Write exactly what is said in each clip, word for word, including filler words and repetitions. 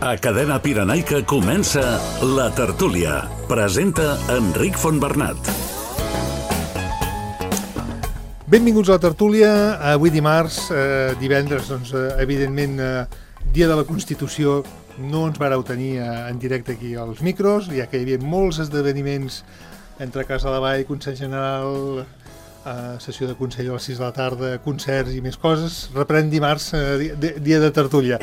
A Cadena Pirenaica comença La Tertúlia. Presenta Enric Fontbernat. Benvinguts a La Tertúlia. Avui dimarts, eh, divendres, doncs, eh, evidentment, eh, dia de la Constitució, no ens vareu tenir eh, en directe aquí als micros, ja que hi havia molts esdeveniments entre Casa de Vall, Consell General, eh, sessió de Consell a les sis de la tarda, concerts i més coses. Reprèn dimarts, eh, dia, dia de tertúlia.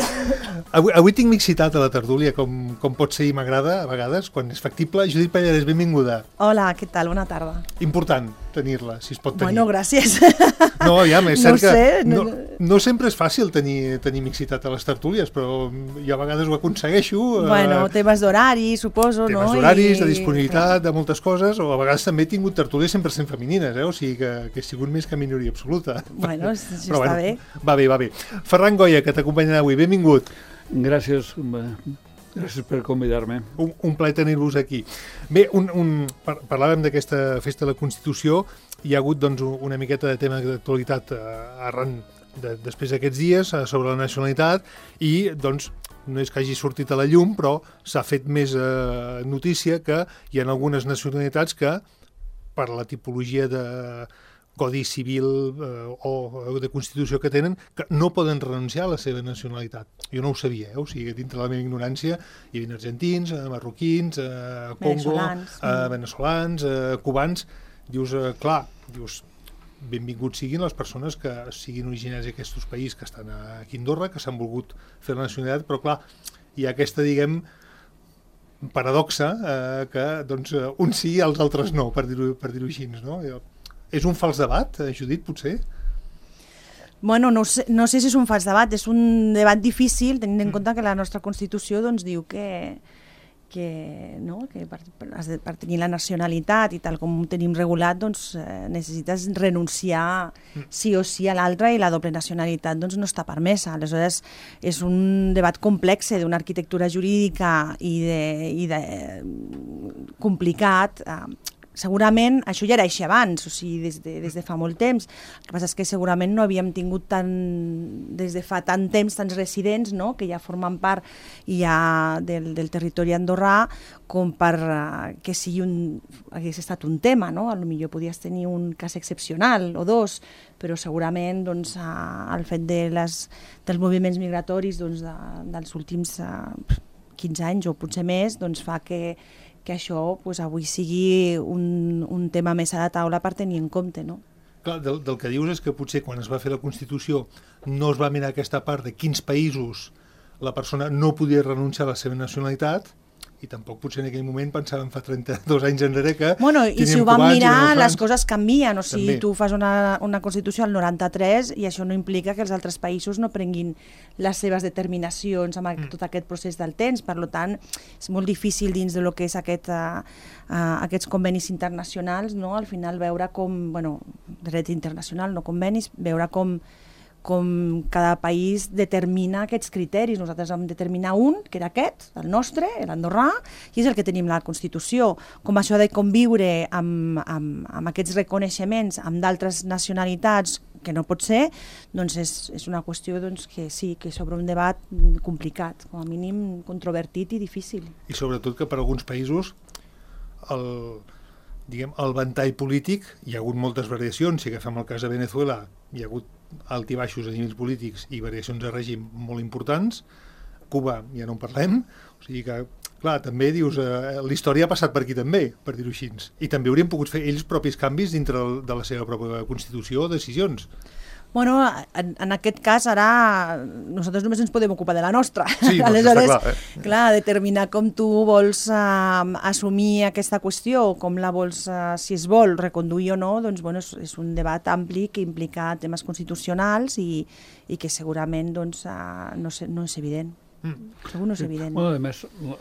Avui, avui tinc mixitat a la tertúlia, com, com pot ser i m'agrada a vegades, quan és factible. Judit Pallarès, benvinguda. Hola, què tal? Bona tarda. Important tenir-la, si es pot tenir. Bueno, gràcies. No, aviam, és No cert que sé, no, no- no sempre és fàcil tenir, tenir mixitat a les tertúlies, però jo a vegades ho aconsegueixo. eh, Bueno, temes d'horari, suposo, temes no? d'horaris, I- de disponibilitat, de moltes coses, o a vegades també he tingut tertúlies cent per cent femenines, eh? O sigui que, que he sigut més que minoria absoluta. Bueno, això Però està bé. Va bé, va bé. Ferran Goya, que t'acompanyarà avui, benvingut. Gràcies, eh, gràcies per convidar-me. Un, un plaer tenir-vos aquí. Bé, un, un, par parlàvem d'aquesta festa de la Constitució, hi ha hagut doncs, una miqueta de tema d'actualitat eh, arran de, després d'aquests dies eh, sobre la nacionalitat i doncs no és que hagi sortit a la llum, però s'ha fet més eh, notícia que hi ha algunes nacionalitats que per la tipologia de codi civil eh, o de Constitució que tenen, que no poden renunciar a la seva nacionalitat. Jo no ho sabia, eh? O sigui, dintre de la meva ignorància hi havia argentins, eh, marroquins, eh, Congo, Veneçolans, eh, mm. veneçolans, eh, cubans. Dius, eh, clar, dius, benvinguts siguin les persones que siguin originàries d'aquests països que estan aquí a Andorra, que s'han volgut fer la nacionalitat, però clar, hi ha aquesta, diguem, paradoxa eh, que doncs, eh, uns sí i els altres no, per dir-ho per dir-ho així, no? És un fals debat, eh, Judit, potser? Bueno, no sé, no sé si és un fals debat, és un debat difícil, tenint en Mm. compte que la nostra Constitució doncs, diu que, que, no? que per, per, has de- per tenir la nacionalitat i tal com ho tenim regulat, doncs, eh, necessites renunciar sí o sí a l'altre i la doble nacionalitat doncs, no està permesa. Aleshores, és un debat complex d'una arquitectura jurídica i de, i de complicat. Eh, segurament això ja era així abans, o sigui, des de, des de fa molt temps. El que passa és que segurament no havíem tingut tant, des de fa tant temps tants residents, no? Que ja formen part ja del, del territori andorrà com per uh, que sigui un, hagués estat un tema, no? A lo millor podies tenir un cas excepcional o dos, però segurament doncs, uh, el fet de les, dels moviments migratoris doncs, de, dels últims uh, quinze anys o potser més doncs, fa que que això pues, avui sigui un, un tema més a la taula per tenir en compte, no? Clar, del, del que dius és que potser quan es va fer la Constitució no es va mirar aquesta part de quins països la persona no podia renunciar a la seva nacionalitat i tampoc potser en aquell moment pensàvem fa trenta-dos anys enrere que Bueno, i si teníem ho vam cubans i mirar, veneçolans. les coses canvien. O sigui, També. tu fas una, una Constitució al noranta-tres i això no implica que els altres països no prenguin les seves determinacions amb mm. tot aquest procés del temps. Per tant, és molt difícil dins de lo que és aquest, uh, uh, aquests convenis internacionals, no? Al final veure com, bueno, dret internacional, no convenis, veure com com cada país determina aquests criteris. Nosaltres vam determinar un, que era aquest, el nostre, l'andorrà, i és el que tenim a la Constitució. Com això de conviure amb, amb, amb aquests reconeixements amb d'altres nacionalitats, que no pot ser, doncs és, és una qüestió doncs, que sí, que sobre un debat complicat, com a mínim controvertit i difícil. I sobretot que per alguns països el, diguem, el ventall polític, hi ha hagut moltes variacions. Si agafem el cas de Venezuela, hi ha hagut altibaixos a nivells polítics i variacions de règim molt importants. Cuba ja no en parlem, o sigui que, clar, també dius, eh, la història ha passat per aquí també, per dir-ho així, i també haurien pogut fer ells propis canvis dintre de la seva pròpia Constitució o decisions. Bueno, en, en aquest cas ara nosaltres només ens podem ocupar de la nostra. Sí, no, Aleshores, està clar, eh? clar, determinar com tu vols uh, assumir aquesta qüestió, com la vols, uh, si es vol reconduir o no, doncs bueno, és, és un debat ampli que implica temes constitucionals i, i que segurament doncs, uh, no, sé, no és evident. Mm. Segur no és evident. Bueno, a més, eh,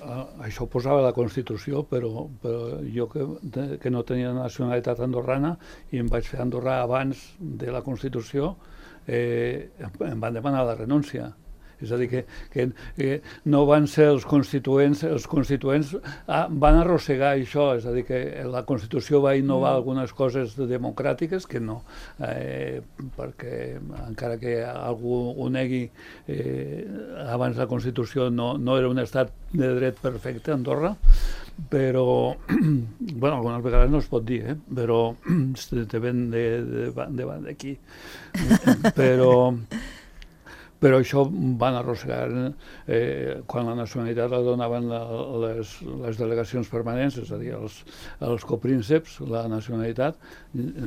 això ho posava a la Constitució, però, però jo que, de- que no tenia nacionalitat andorrana i em vaig fer andorrà abans de la Constitució, eh, em van demanar la renúncia. És a dir, que, que, que no van ser els constituents, els constituents ah, van arrossegar això, és a dir, que la Constitució va innovar mm. algunes coses democràtiques que no, eh, perquè encara que algú ho negui, eh, abans la Constitució no, no era un estat de dret perfecte, Andorra, però, bueno, algunes vegades no es pot dir, eh? Però te ven de, de, de, d'aquí. Però... però això van arrossegar eh, quan la nacionalitat la donaven la, les, les delegacions permanents, és a dir, els, els coprínceps, la nacionalitat,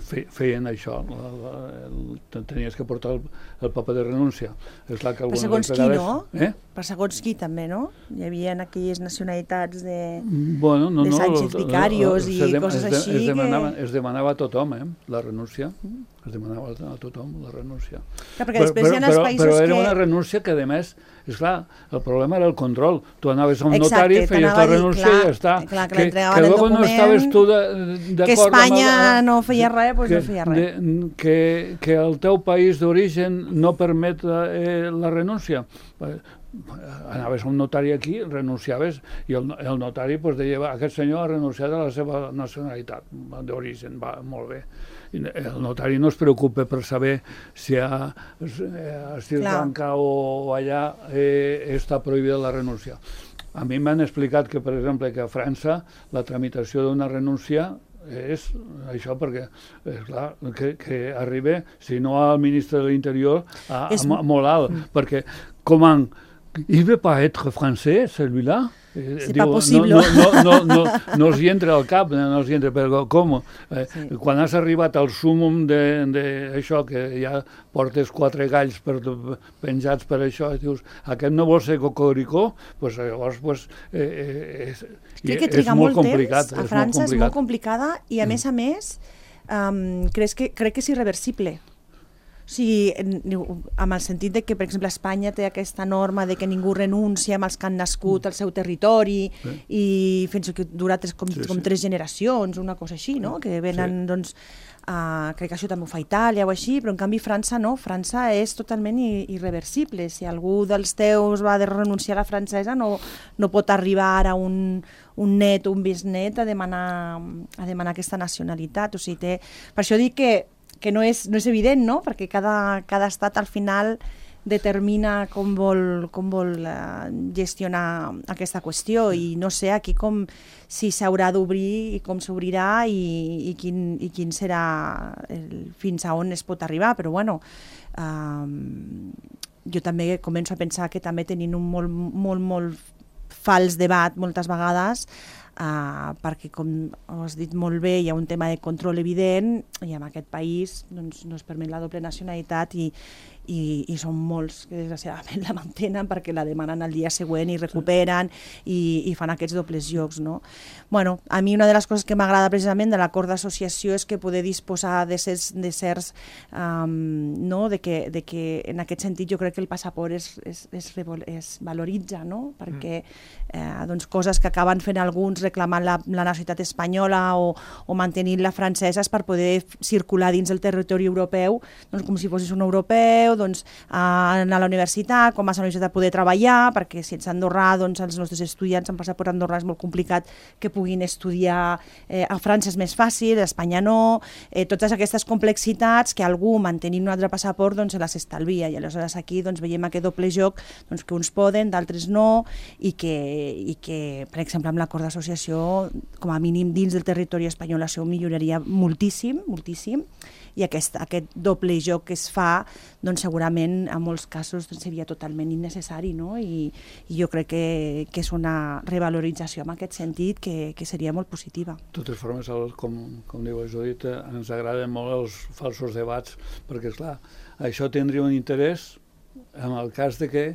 fe, feien això, la, la, el, tenies que portar el, el paper de renúncia. És clar que per segons vegades, qui, no? Eh? Per segons qui, també, no? Hi havia aquelles nacionalitats de, bueno, no, de Sánchez no, Vicarios i de, coses es de, així. Es demanava, que... es demanava a tothom, eh, la renúncia. Mm. Es demanava a tothom la renúncia. Clar, perquè després però, hi ha els però, països però era que... una renúncia que, a més, esclar, el problema era el control. Tu anaves a un Exacte, notari, feies la renúncia clar, i ja està. Clar, que, que, que luego no estaves tu d'acord que Espanya amb el, no feia res, doncs que, no feia res. De, que, que el teu país d'origen no permet eh, la renúncia. Anaves a un notari aquí, renunciaves, i el, el notari pues, deia, aquest senyor ha renunciat a la seva nacionalitat d'origen, va, molt bé. El notari no es preocupa per saber si a, a Sri Lanka o allà eh, està prohibida la renúncia. A mi m'han explicat que, per exemple, que a França la tramitació d'una renúncia és això, perquè és clar que, que arriba, si no al ministre de l'Interior, a, a, a molt alt, mm. perquè comment il veut pas être français, celui-là? C'est pas possible. No, no, no, no, no els hi entra al cap, no els hi entra, però com? Eh, sí. Quan has arribat al súmum d'això, que ja portes quatre galls per, penjats per això, i dius, aquest no vol ser cocoricó, doncs llavors pues, eh, és, crec que és triga molt molt complicat. Temps. A França és molt complicada i, a mm. més a més, um, crec que, crec que és irreversible. O sigui, amb el sentit de que, per exemple, Espanya té aquesta norma de que ningú renuncia amb els que han nascut al seu territori sí. i fins que dura tres, com, sí, com sí. tres generacions, una cosa així, no? Que venen, sí. doncs, uh, crec que això també ho fa Itàlia o així, però en canvi França no, França és totalment irreversible. Si algú dels teus va de renunciar a la francesa no, no pot arribar a un, un net o un bisnet a demanar, a demanar aquesta nacionalitat. O sigui, té... Per això dic que que no és, no és evident, no? Perquè cada, cada estat al final determina com vol, com vol uh, gestionar aquesta qüestió i no sé aquí com si s'haurà d'obrir i com s'obrirà i, i, quin, i quin serà el, fins a on es pot arribar, però bueno, um, jo també començo a pensar que també tenim un molt, molt, molt fals debat moltes vegades, Uh, perquè, com has dit molt bé, hi ha un tema de control evident i en aquest país doncs, no es permet la doble nacionalitat i, i, i són molts que desgraciadament la mantenen perquè la demanen al dia següent i recuperen i, i fan aquests dobles jocs, no? Bueno, a mi una de les coses que m'agrada precisament de l'acord d'associació és que poder disposar de certs, de certs um, no? de, que, de que en aquest sentit jo crec que el passaport es, es, es, es valoritza, no? Perquè eh, doncs, coses que acaben fent alguns reclamant la, la nacionalitat espanyola o, o mantenint la francesa és per poder circular dins del territori europeu, doncs com si fossis un europeu, doncs a anar a la universitat, quan vas a la universitat poder treballar, perquè si ets andorrà, doncs els nostres estudiants amb passaport andorrà és molt complicat que puguin estudiar eh, a França és més fàcil, a Espanya no, eh, totes aquestes complexitats que algú mantenint un altre passaport doncs se les estalvia i aleshores aquí doncs veiem aquest doble joc doncs, que uns poden, d'altres no i que, i que per exemple amb l'acord d'associació com a mínim dins del territori espanyol això milloraria moltíssim, moltíssim i aquest, aquest doble joc que es fa doncs segurament en molts casos doncs, seria totalment innecessari, no? I, i jo crec que, que és una revalorització en aquest sentit que, que seria molt positiva. De totes formes, el, com, com diu la Judit, ens agraden molt els falsos debats perquè, esclar, això tindria un interès en el cas de que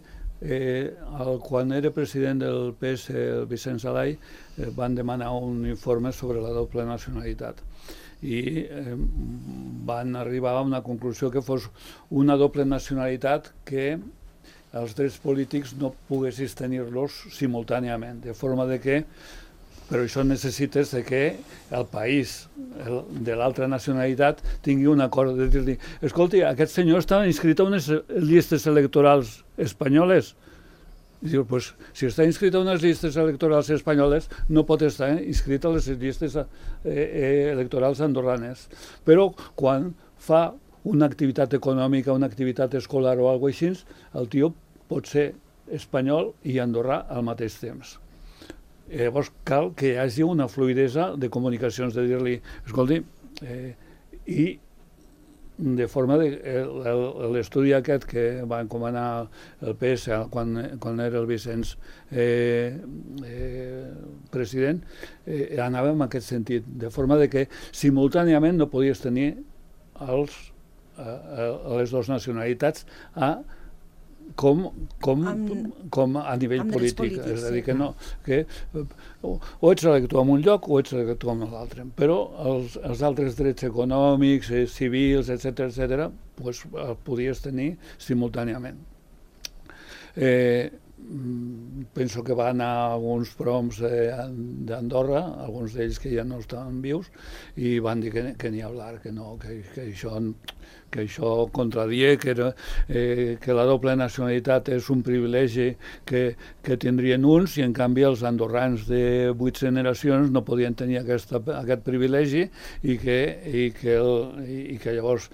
Eh, el, quan era president del P S, el Vicent Salai, eh, van demanar un informe sobre la doble nacionalitat i eh, van arribar a una conclusió que fos una doble nacionalitat que els drets polítics no poguessis tenir-los simultàniament, de forma de que però això necessites de que el país el, de l'altra nacionalitat tingui un acord de dir-li, escolti, aquest senyor està inscrit a unes llistes electorals espanyoles. I diu, pues, si està inscrit a unes llistes electorals espanyoles, no pot estar inscrit a les llistes eh, eh, electorals andorranes. Però quan fa una activitat econòmica, una activitat escolar o alguna cosa així, el tio pot ser espanyol i andorrà al mateix temps. Llavors cal que hi hagi una fluidesa de comunicacions, de dir-li, escolti, eh, i de forma de... L'estudi aquest que va encomanar el P S quan, quan era el Vicenç eh, eh, president, eh, anava en aquest sentit, de forma de que simultàniament no podies tenir els, a, a les dues nacionalitats a Com, com, amb, com a nivell polític, polítics, és a dir, que no, que o, o ets elector en un lloc o ets elector en l'altre, però els, els altres drets econòmics, eh, civils, etcètera, etcètera, pues, els podies tenir simultàniament. Eh, penso que van a alguns proms d'Andorra, alguns d'ells que ja no estaven vius, i van dir que, que ni hablar, que no, que, que això... que això contradia, que, era, eh, que la doble nacionalitat és un privilegi que, que tindrien uns i en canvi els andorrans de vuit generacions no podien tenir aquesta, aquest privilegi i que, i que, el, i que llavors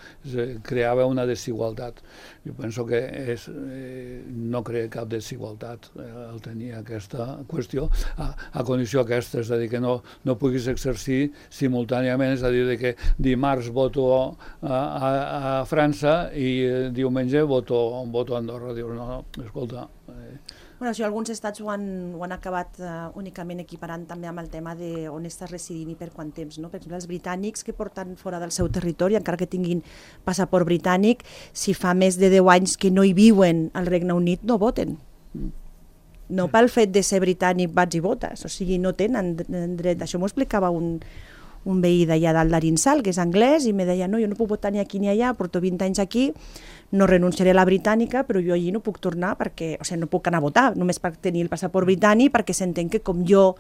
creava una desigualtat. Jo penso que és, eh, no crea cap desigualtat eh, el tenir aquesta qüestió a, a condició aquesta, és a dir, que no, no puguis exercir simultàniament, és a dir, que dimarts voto a, a, a França i eh, diumenge voto, voto a Andorra. Dius, no, no, escolta... Eh. Bueno, si alguns estats ho han, ho han acabat uh, únicament equiparant també amb el tema de on estàs residint i per quant temps, no? Per exemple, els britànics que porten fora del seu territori, encara que tinguin passaport britànic, si fa més de deu anys que no hi viuen al Regne Unit, no voten. No pel fet de ser britànic vaig i votes, o sigui, no tenen dret. Això m'ho explicava un, un veí d'allà dalt d'Arinsal, que és anglès, i me deia, no, jo no puc votar ni aquí ni allà, porto vint anys aquí, no renunciaré a la britànica, però jo allí no puc tornar perquè, o sigui, no puc anar a votar, només per tenir el passaport britànic, perquè s'entén que com jo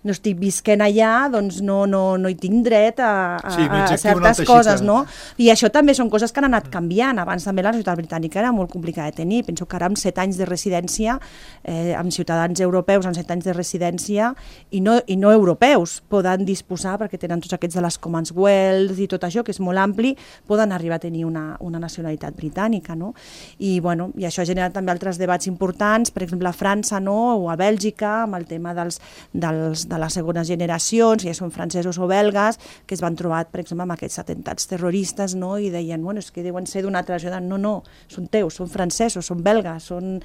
no estic visquent allà, doncs no, no, no hi tinc dret a, a, sí, a certes coses, no? I això també són coses que han anat canviant. Abans també la ciutat britànica era molt complicada de tenir. Penso que ara amb set anys de residència, eh, amb ciutadans europeus amb set anys de residència i no, i no europeus, poden disposar, perquè tenen tots aquests de les Commonwealth i tot això, que és molt ampli, poden arribar a tenir una, una nacionalitat britànica, no? I, bueno, i això ha generat també altres debats importants, per exemple a França, no? O a Bèlgica, amb el tema dels, dels, de les segones generacions, ja són francesos o belgues, que es van trobar, per exemple, amb aquests atemptats terroristes, no? I deien, bueno, és que deuen ser d'una altra ciutat. No, no, són teus, són francesos, són belgues, són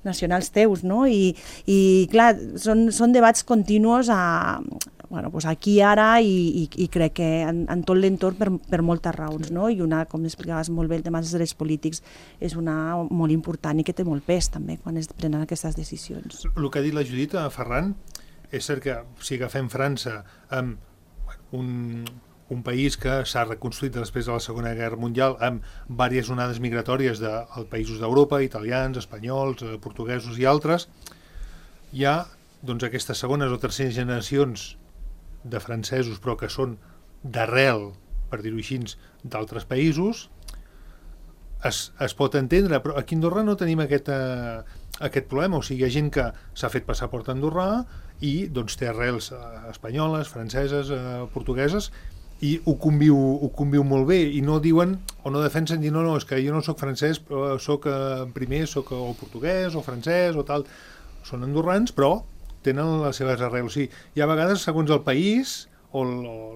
nacionals teus, no? I, i clar, són, són debats continus a, bueno, pues aquí ara i, i, i crec que en, en tot l'entorn per, per moltes raons, no? I una, com explicaves molt bé, el tema dels drets polítics és una molt important i que té molt pes també quan es prenen aquestes decisions. El que ha dit la Judit, Ferran, és cert que si agafem França amb un, un país que s'ha reconstruït després de la Segona Guerra Mundial amb diverses onades migratòries de, de països d'Europa, italians, espanyols, portuguesos i altres, hi ha doncs, aquestes segones o terceres generacions de francesos, però que són d'arrel, per dir-ho així, d'altres països, es, es pot entendre, però aquí a Andorra no tenim aquest, uh, aquest problema, o sigui, hi ha gent que s'ha fet passaport andorrà i doncs, té arrels uh, espanyoles, franceses, uh, portugueses, i ho conviu, ho conviu molt bé, i no diuen, o no defensen, dir, no, no, és que jo no soc francès, però soc uh, primer, soc o portuguès, o francès, o tal, són andorrans, però tenen les seves arrels. O sigui, hi ha vegades, segons el país o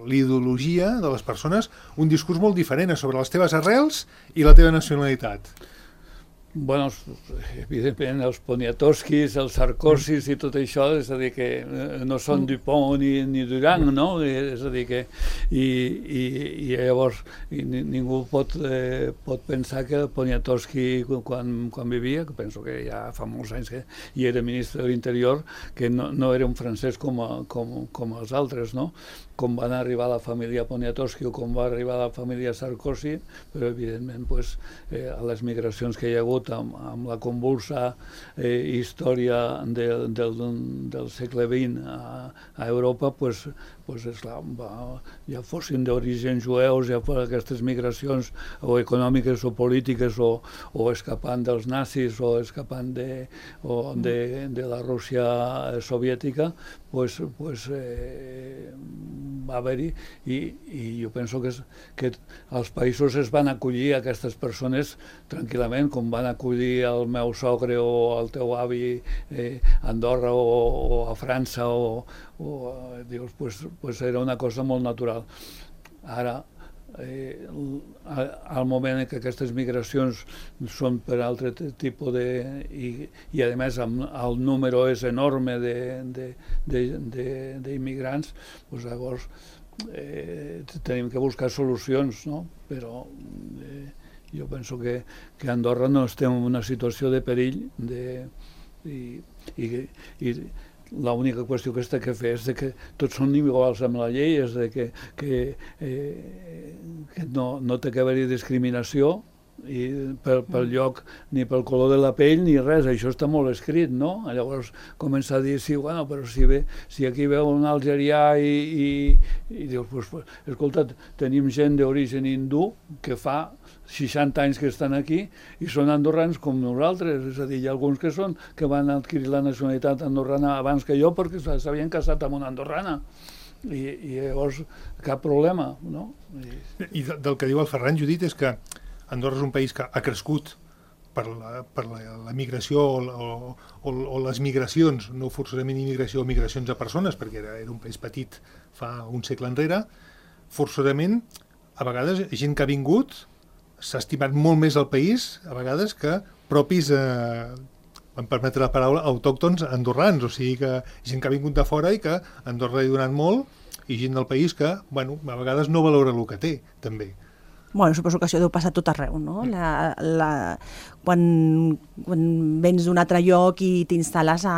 l'ideologia de les persones, un discurs molt diferent sobre les teves arrels i la teva nacionalitat. Bueno, evidentment els Poniatowskis, els Sarkozys i tot això, és a dir, que no són Dupont ni, ni Durand, no? És a dir, que i, i, i llavors i ningú pot, eh, pot pensar que el Poniatowski quan, quan vivia, que penso que ja fa molts anys que hi era ministre de l'Interior, que no, no era un francès com, a, com, com els altres, no? Com van arribar la família Poniatowski o com va arribar la família Sarkozy, però evidentment pues, eh, a les migracions que hi ha hagut sobretot amb, amb la convulsa eh, història de, del, del segle vint a, a Europa, pues, pues esclar, va, ja fossin d'origen jueus, ja fossin aquestes migracions o econòmiques o polítiques o, o escapant dels nazis o escapant de, o de, de la Rússia soviètica, pues, pues, eh, va haver-hi i, i jo penso que, és, que els països es van acollir a aquestes persones tranquil·lament, com van acollir el meu sogre o el teu avi eh, a Andorra o, o a França o, o dius, pues, pues era una cosa molt natural. Ara, eh, al moment en què aquestes migracions són per altre tipus de... i, i a més el número és enorme d'immigrants, doncs llavors eh, tenim que buscar solucions, no? Però eh, jo penso que, que Andorra no estem en una situació de perill de, i, i, i l'única qüestió que s'ha de fer és de que tots són iguals amb la llei, és de que, que, eh, que no, no té que haver-hi discriminació i pel, pel lloc, ni pel color de la pell, ni res. Això està molt escrit, no? Llavors comença a dir, sí, bueno, però si, ve, si aquí veu un algerià i, i, i dius, pues, pues, escolta, tenim gent d'origen hindú que fa seixanta anys que estan aquí i són andorrans com nosaltres, és a dir, hi ha alguns que són que van adquirir la nacionalitat andorrana abans que jo perquè s'havien casat amb una andorrana i, i llavors cap problema, no? I, I del que diu el Ferran, Judit, és que Andorra és un país que ha crescut per la, per la, la migració o, o, o, o les migracions, no forçosament immigració o migracions a persones, perquè era, era un país petit fa un segle enrere, forçosament, a vegades, gent que ha vingut s'ha estimat molt més el país, a vegades, que propis, eh, em permetre la paraula, autòctons andorrans, o sigui que gent que ha vingut de fora i que Andorra ha donat molt, i gent del país que, bueno, a vegades no valora el que té, també. Bueno, suposo que això deu passar tot arreu, no? La, la, quan, quan vens d'un altre lloc i t'instal·les a,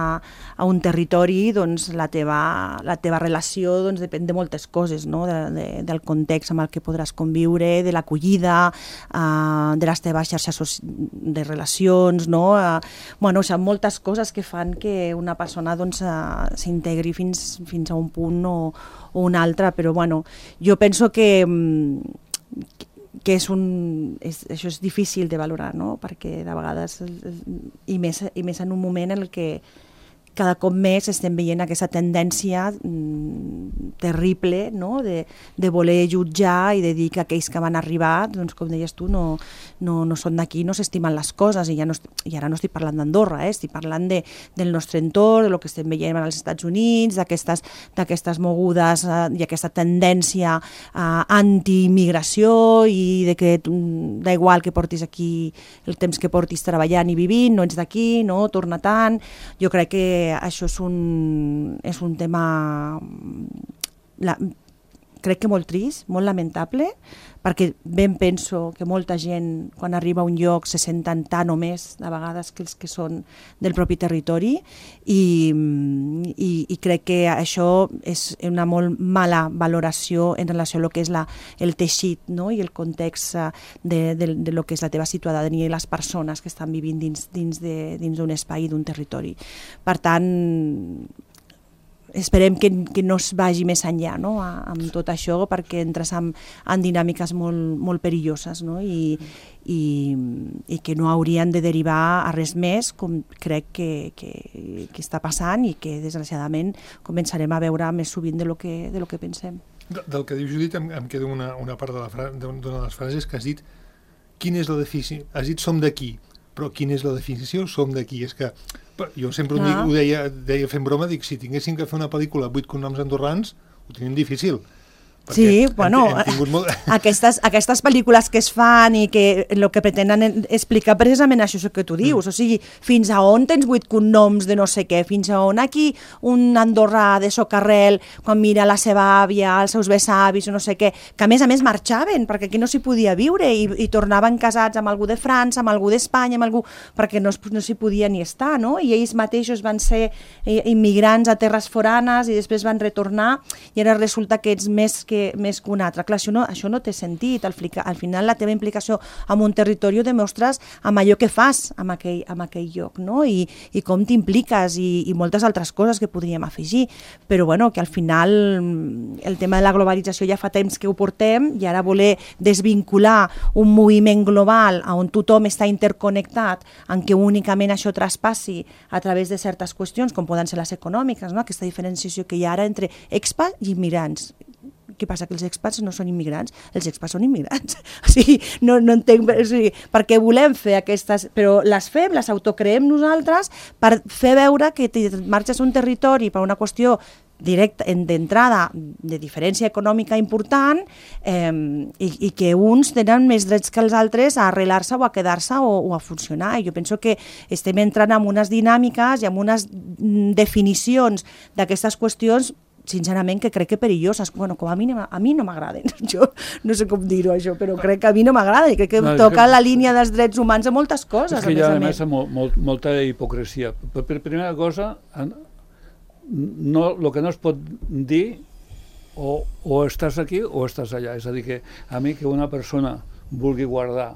a un territori, doncs la teva, la teva relació doncs, depèn de moltes coses, no? De, de, del context amb el que podràs conviure, de l'acollida, uh, de les teves xarxes de relacions, no? Uh, bueno, o sigui, moltes coses que fan que una persona doncs, uh, s'integri fins, fins a un punt o, o un altre, però bueno, jo penso que... que que és un, és, això és difícil de valorar, no? Perquè de vegades, i més, i més en un moment en què cada cop més estem veient aquesta tendència mm, terrible, no? de, de voler jutjar i de dir que aquells que van arribar, doncs, com deies tu, no, no, no són d'aquí, no s'estimen les coses, i, ja no, i ara no estic parlant d'Andorra, eh? Estic parlant de, del nostre entorn, del que estem veient als Estats Units, d'aquestes mogudes eh, i aquesta tendència eh, anti-immigració i de que mm, da igual que portis aquí el temps que portis treballant i vivint, no ets d'aquí, no, torna tant. Jo crec que això és un, és un tema la, crec que molt trist, molt lamentable, perquè ben penso que molta gent quan arriba a un lloc se senten tant o més de vegades que els que són del propi territori i, i, i crec que això és una molt mala valoració en relació a lo que és la, el teixit, no? I el context de, de, de lo que és la teva ciutadania i les persones que estan vivint dins, dins de, dins d'un espai, d'un territori. Per tant, esperem que, que no es vagi més enllà, no? A, amb tot això, perquè entres en, en dinàmiques molt, molt perilloses, no? I, i, i que no haurien de derivar a res més, com crec que, que, que està passant i que desgraciadament començarem a veure més sovint de lo que, de lo que pensem. De, del que diu Judit em, em queda una, una part de la fra, d'una de les frases que has dit, quina és la definició? Has dit som d'aquí, però quina és la definició? Som d'aquí. És que jo sempre ho, dic, ho deia, deia fent broma, dic, si tinguéssim que fer una pel·lícula vuit cognoms andorrans, ho tenim difícil. Sí, bueno, hem, hem molt... aquestes, aquestes pel·lícules que es fan i que el que pretenen explicar precisament això que tu dius, mm. o sigui, fins a on tens vuit cognoms de no sé què, fins a on aquí un andorrà de socarrel, quan mira la seva àvia, els seus besavis o no sé què, que a més a més marxaven, perquè aquí no s'hi podia viure i, i tornaven casats amb algú de França, amb algú d'Espanya, amb algú, perquè no, no s'hi podia ni estar, no? I ells mateixos van ser immigrants a terres foranes i després van retornar i ara resulta que ets més que, més que un altre. Clar, això no, això no té sentit. Al, al final la teva implicació en un territori ho demostres amb allò que fas en aquell, en aquell lloc, no? I, i com t'impliques i, i moltes altres coses que podríem afegir. Però bueno, que al final el tema de la globalització ja fa temps que ho portem i ara voler desvincular un moviment global on tothom està interconnectat, en què únicament això traspassi a través de certes qüestions, com poden ser les econòmiques, no? Aquesta diferenciació que hi ha ara entre expats i immigrants. Què passa? Que els expats no són immigrants? Els expats són immigrants. O sigui, no, no entenc... O sigui, perquè volem fer aquestes... Però les fem, les autocreem nosaltres per fer veure que marxes a un territori per una qüestió directa, d'entrada, de diferència econòmica important eh, i, i que uns tenen més drets que els altres a arrelar-se o a quedar-se o, o a funcionar. I jo penso que estem entrant en unes dinàmiques i en unes definicions d'aquestes qüestions sincerament que crec que perilloses, bueno, com a mi, a mi no m'agraden, jo no sé com dir-ho això, però crec que a mi no m'agrada i crec que no, toca que... la línia dels drets humans a moltes coses. És que hi ha a més molt, molt, molta hipocresia. Per, per primera cosa, no, el que no es pot dir o, o estàs aquí o estàs allà, és a dir que a mi que una persona vulgui guardar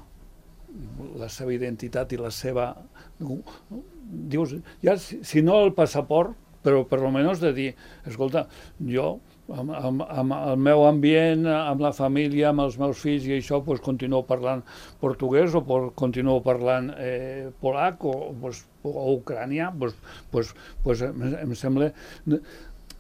la seva identitat i la seva... Dius, ja, si, si no el passaport, però per almenys de dir, escolta, jo amb, amb, amb el meu ambient, amb la família, amb els meus fills i això, pues, continuo parlant portuguès o por, continuo parlant eh, polac o, pues, o ucranià, pues, pues, pues, em, em sembla...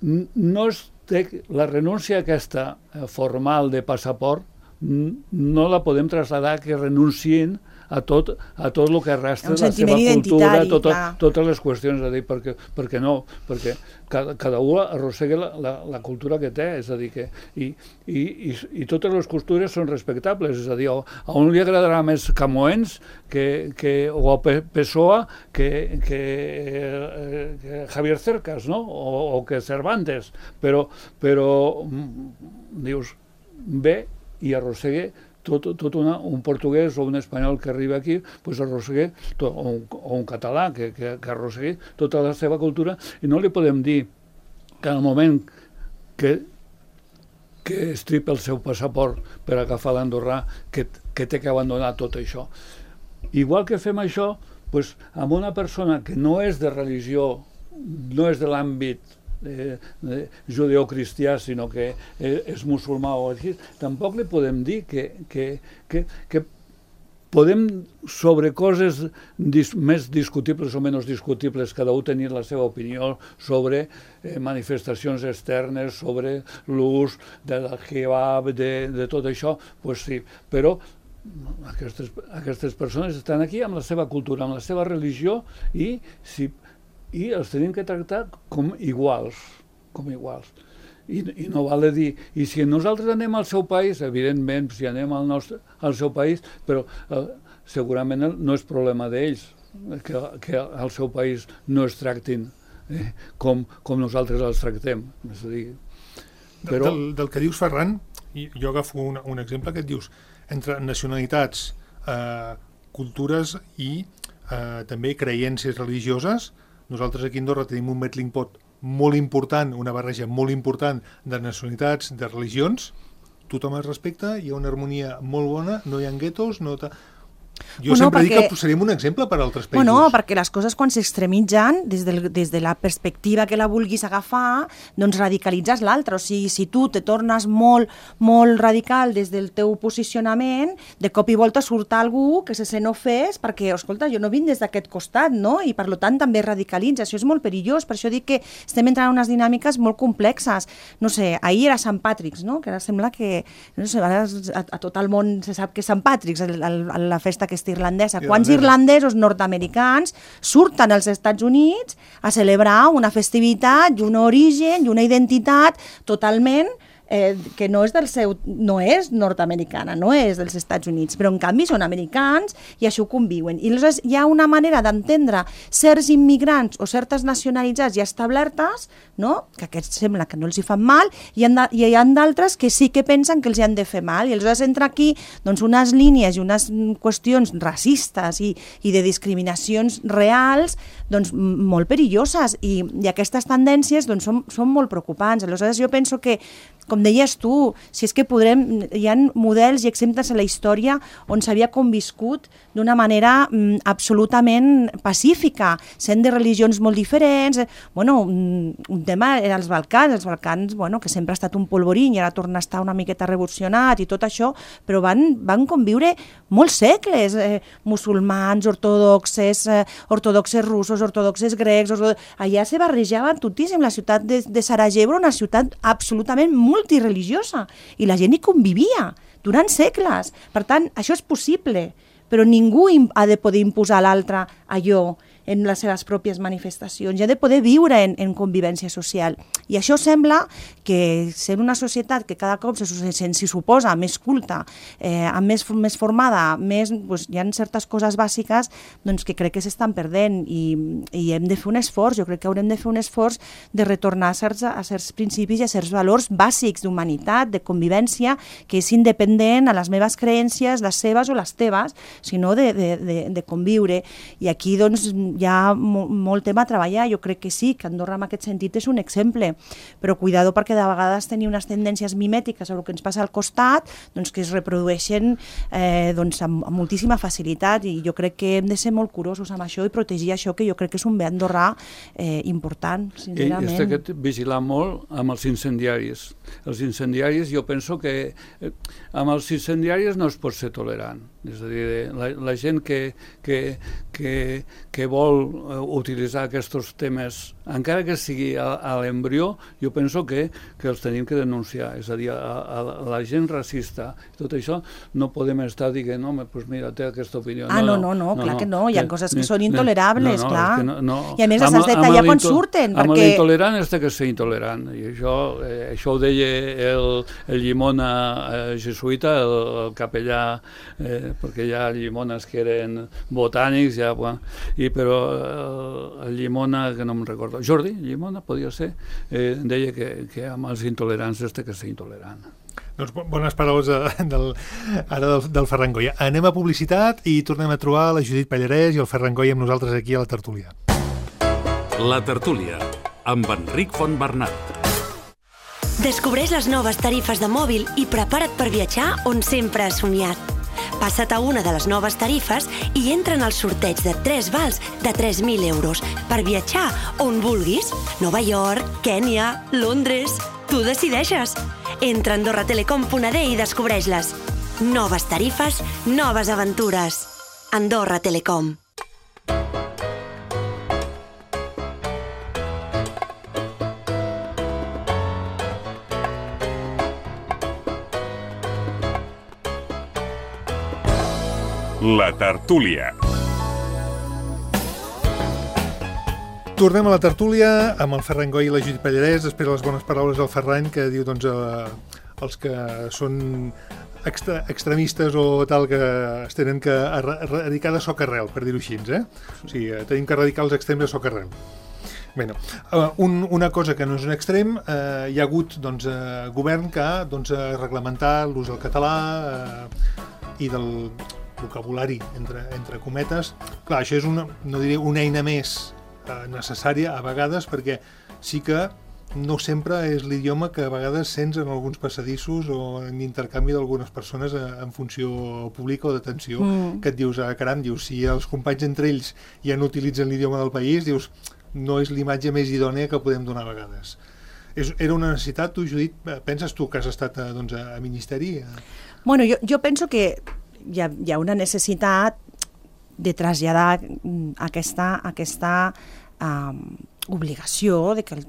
No es té, la renúncia aquesta formal de passaport no la podem traslladar que renunciïn a tot, a tot el que resta de la seva cultura, tot, totes les qüestions, a dir, perquè, perquè no, perquè cada, cada un arrossega la, la, la cultura que té, és a dir, que i, i, i, i totes les cultures són respectables, és a dir, a un li agradarà més Camoens que, que, o a Pessoa que, que, que Javier Cercas, no? O, o que Cervantes, però, però dius, ve i arrossegue tot, tot una, un portuguès o un espanyol que arriba aquí, pues arrossegue, tot, o, un, o un català que, que, que arrossegue tota la seva cultura, i no li podem dir que en el moment que, que estripa el seu passaport per agafar l'andorrà, que, que té que abandonar tot això. Igual que fem això, pues, amb una persona que no és de religió, no és de l'àmbit Eh, eh, judeocristià, sinó que eh, és musulmà o així, tampoc li podem dir que, que, que, que podem sobre coses dis, més discutibles o menys discutibles, cada un tenir la seva opinió sobre eh, manifestacions externes, sobre l'ús del hijab, de, de tot això, pues sí, però aquestes, aquestes persones estan aquí amb la seva cultura, amb la seva religió i si i els tenim que tractar com iguals, com iguals. I, i no val dir, i si nosaltres anem al seu país, evidentment, si anem al, nostre, al seu país, però eh, segurament no és problema d'ells que, que al seu país no es tractin eh, com, com nosaltres els tractem. És a dir, però... del, del que dius, Ferran, jo agafo un, un exemple que et dius, entre nacionalitats, eh, cultures i eh, també creences religioses. Nosaltres aquí a Andorra tenim un melting pot molt important, una barreja molt important de nacionalitats, de religions, tothom es respecta, hi ha una harmonia molt bona, no hi ha guetos, no... Jo bueno, sempre perquè... dic que posaríem un exemple per a altres països. Bueno, perquè les coses quan s'extremitzen, des, del, des de la perspectiva que la vulguis agafar, doncs radicalitzes l'altre. O sigui, si tu te tornes molt, molt radical des del teu posicionament, de cop i volta surt algú que se sent ofès perquè, escolta, jo no vinc des d'aquest costat, no? I per tant també radicalitza. Això és molt perillós, per això dic que estem entrant en unes dinàmiques molt complexes. No sé, ahir era Sant Patrick's, no? Que ara sembla que, no sé, ara a, a tot el món se sap que és Sant Patrick's, el, el, la festa aquesta irlandesa. Quants irlandesos nord-americans surten als Estats Units a celebrar una festivitat i un origen i una identitat totalment eh, que no és del seu, no és nord-americana, no és dels Estats Units, però en canvi són americans i això conviuen. I aleshores hi ha una manera d'entendre certs immigrants o certes nacionalitats ja establertes, no? Que aquests sembla que no els hi fan mal, i hi ha d'altres que sí que pensen que els hi han de fer mal, i aleshores entra aquí doncs, unes línies i unes qüestions racistes i, i de discriminacions reals doncs, molt perilloses, i, i aquestes tendències doncs, són, són molt preocupants. Aleshores jo penso que com deies tu, si és que podrem, hi ha models i exemples a la història on s'havia conviscut d'una manera mm, absolutament pacífica, sent de religions molt diferents. Bueno, un, un tema era els Balcans, els Balcans, bueno, que sempre ha estat un polvorín i ara torna a estar una miqueta revolucionat i tot això, però van, van conviure molts segles, eh, musulmans, ortodoxes, eh, ortodoxes russos, ortodoxes grecs, ortodoxes... allà se barrejaven totíssim. La ciutat de, de Sarajevo, una ciutat absolutament multireligiosa, i la gent hi convivia durant segles. Per tant, això és possible, però ningú ha de poder imposar a l'altre allò en les seves pròpies manifestacions, i ha de poder viure en, en convivència social. I això sembla que, sent una societat que cada cop se, se, se suposa més culta, eh, més, més formada, més, doncs, hi ha certes coses bàsiques doncs, que crec que s'estan perdent, i, i hem de fer un esforç. Jo crec que haurem de fer un esforç de retornar a certs, a certs principis i a certs valors bàsics d'humanitat, de convivència, que és independent a les meves creències, les seves o les teves, sinó de, de, de, de conviure. I aquí, doncs, hi ha mo molt tema a treballar. Jo crec que sí, que Andorra en aquest sentit és un exemple, però cuidado, perquè de vegades tenim unes tendències mimètiques sobre el que ens passa al costat, doncs que es reprodueixen eh, doncs amb, amb moltíssima facilitat, i jo crec que hem de ser molt curosos amb això i protegir això, que jo crec que és un bé andorrà eh, important, sincerament. I és que vigilar molt amb els incendiaris. Els incendiaris, jo penso que eh, amb els incendiaris no es pot ser tolerant. És a dir, la, la gent que, que, que, que vol utilitzar aquests temes, encara que sigui a, a l'embrió, jo penso que, que els tenim que denunciar. És a dir, a, a la gent racista, tot això, no podem estar dient, no, pues mira, té aquesta opinió. Ah, no, no, no, no clar no, que no, hi ha coses que són intolerables, no, no, clar. No, no. I a més les has de tallar quan surten. Amb perquè... l'intolerant és que ser intolerant. I això, eh, això ho deia el, el Llimona eh, jesuïta, el, el capellà, eh, perquè hi ha llimones que eren botànics, ja, bueno, i, però eh, el Llimona, que no me'n recordo, Jordi Llimona, podia ser, eh, deia que, que amb els intolerants és que ser intolerant. Doncs bones paraules de, del, ara del, del Ferran Goya. Anem a publicitat i tornem a trobar la Judit Pallarès i el Ferran Goya amb nosaltres aquí a la tertúlia. La tertúlia, amb Enric Fontbernat. Descobreix les noves tarifes de mòbil i prepara't per viatjar on sempre has somiat. Passa't a una de les noves tarifes i entra en el sorteig de tres vals de tres mil euros per viatjar on vulguis. Nova York, Kènia, Londres... Tu decideixes. Entra a andorra telecom punt a d i descobreix-les. Noves tarifes, noves aventures. Andorra Telecom. La tertúlia. Tornem a la tertúlia amb el Ferran Goya i la Judit Pallarès, després de les bones paraules del Ferran, que diu doncs, eh, els que són extra, extremistes o tal, que es tenen que erradicar de socarrel, per dir-ho així, eh? O sigui, tenim que erradicar els extrems de socarrel. Bueno, un, una cosa que no és un extrem, eh, hi ha hagut doncs, eh, govern que ha doncs, reglamentat l'ús del català eh, i del vocabulari, entre, entre cometes. Clar, això és una, no diré una eina més eh, necessària a vegades, perquè sí que no sempre és l'idioma que a vegades sents en alguns passadissos o en intercanvi d'algunes persones en funció pública o d'atenció, mm. que et dius, ah, caram, dius, si els companys entre ells ja no utilitzen l'idioma del país, dius, no és l'imatge més idònea que podem donar a vegades. És, era una necessitat, tu, Judit? Penses tu que has estat a, doncs, a Ministeri? Bueno, jo, jo penso que hi ha, hi ha una necessitat de traslladar aquesta, aquesta um, obligació de que el,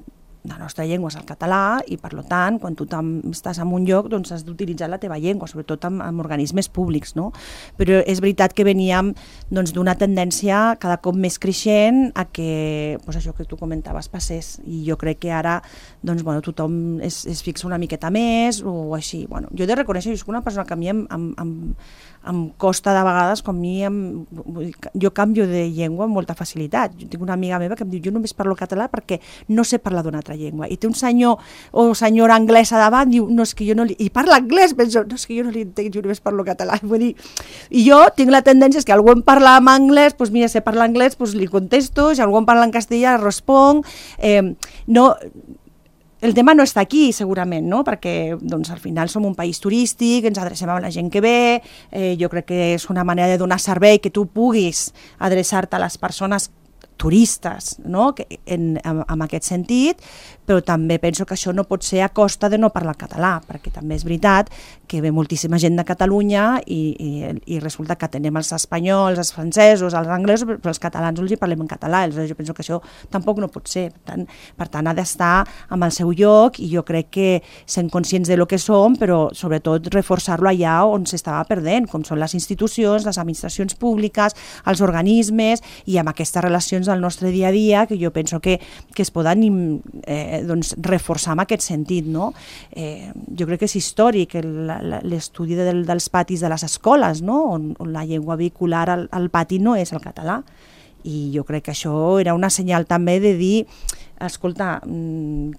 la nostra llengua és el català i, per tant, quan tu estàs en un lloc, doncs has d'utilitzar la teva llengua, sobretot en, en organismes públics, no? Però és veritat que veníem doncs, d'una tendència cada cop més creixent a que, doncs, això que tu comentaves passés, i jo crec que ara doncs, bueno, tothom es, es fixa una miqueta més o així. Bueno, jo he de reconèixer que soc una persona que a mi em, em, em, em costa de vegades, com a mi em, jo canvio de llengua amb molta facilitat. Jo tinc una amiga meva que em diu, jo només parlo català perquè no sé parlar d'una altra llengua, i té un senyor o senyora anglesa davant, diu, no, és que jo no li... i parla anglès, penso, no, és que jo no li entenc, jo només parlo català. Vull dir, i jo tinc la tendència, és que algú em parla en anglès, doncs mira, sé parlar anglès, doncs li contesto, si algú em parla en castellà, responc. Eh, no... el tema no està aquí, segurament, no? Perquè doncs, al final som un país turístic, ens adrecem a la gent que ve, eh, jo crec que és una manera de donar servei que tu puguis adreçar-te a les persones turistes, no? que en, en, en aquest sentit, però també penso que això no pot ser a costa de no parlar català, perquè també és veritat que ve moltíssima gent de Catalunya i, i, i resulta que tenem els espanyols, els francesos, els anglesos, però els catalans els hi parlem en català, aleshores jo penso que això tampoc no pot ser, per tant, per tant ha d'estar amb el seu lloc i jo crec que sent conscients de lo que som, però sobretot reforçar-lo allà on s'estava perdent, com són les institucions, les administracions públiques, els organismes i amb aquestes relacions del nostre dia a dia que jo penso que, que es poden eh, doncs, reforçar en aquest sentit. No? Eh, jo crec que és històric l'estudi del, dels patis de les escoles, no? on, on la llengua vehicular al, al pati no és el català. I jo crec que això era una senyal també de dir escolta,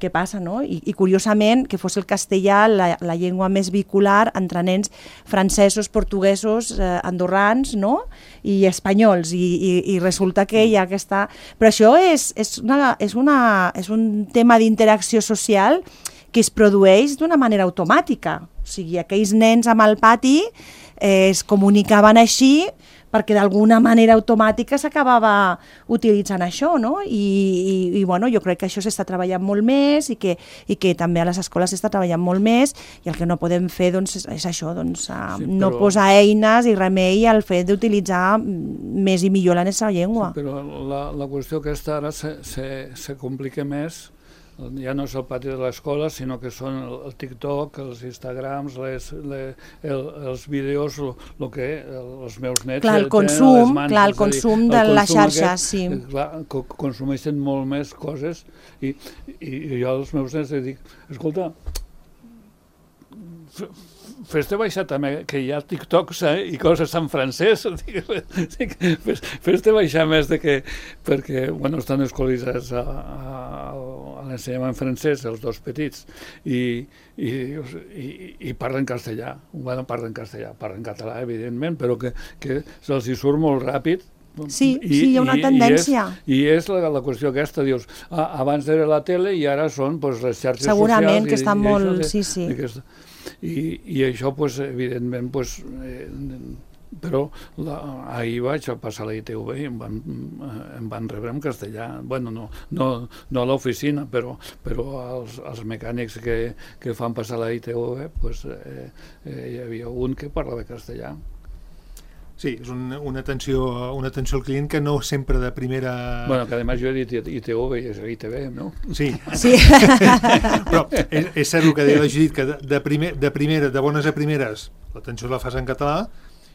què passa, no? I, i curiosament que fos el castellà la, la llengua més vehicular entre nens francesos, portuguesos, eh, andorrans, no? I espanyols, i, i, i resulta que hi ha aquesta... Però això és, és, una, és, una, és un tema d'interacció social que es produeix d'una manera automàtica. O sigui, aquells nens amb el pati eh, es comunicaven així perquè d'alguna manera automàtica s'acabava utilitzant això, no? I, i, i bueno, jo crec que això s'està treballant molt més i que, i que també a les escoles s'està treballant molt més i el que no podem fer doncs, és, és això, doncs, sí, però... no posar eines i remei al fet d'utilitzar més i millor la nostra llengua. Sí, però la, la qüestió aquesta ara se, se, se complica més. Ja no és el pati de l'escola, sinó que són el, el TikTok, els Instagrams, les, les, el, els vídeos, el, el que el, els meus nets... Clar, el consum, mans, clar, el consum dir, de el les xarxes, sí. Clar, co consumeixen molt més coses i, i, i jo als meus nets dic, escolta, fes-te baixar també, que hi ha TikToks eh, i coses en francès, fes-te baixar més de que, perquè, bueno, estan escolaritzats a, a, a l'ensenyament francès, els dos petits, i, i, i, i parlen castellà, bueno, parlen castellà, parlen català, evidentment, però que, que se'ls hi surt molt ràpid. Sí, I, sí, hi ha una i, tendència. I és, i és la, la qüestió aquesta, dius, ah, abans era la tele i ara són pues, les xarxes Segurament socials. Segurament que estan molt... De, sí, sí. Aquesta, i, I això, pues, evidentment, pues, eh, però la, ahir vaig a passar a la I T V i em van, em van rebre en castellà. Bueno, no, no, no a l'oficina, però, però els, els mecànics que, que fan passar a la I T V, pues, eh, eh, hi havia un que parlava castellà. Sí, és un, una, atenció, una atenció al client que no sempre de primera... Bueno, que además jo he dit I T V i és I T V, no? Sí, sí. Però és, és cert el que deia la Judit, que de, de, primer, de primera, de bones a primeres, l'atenció la fas en català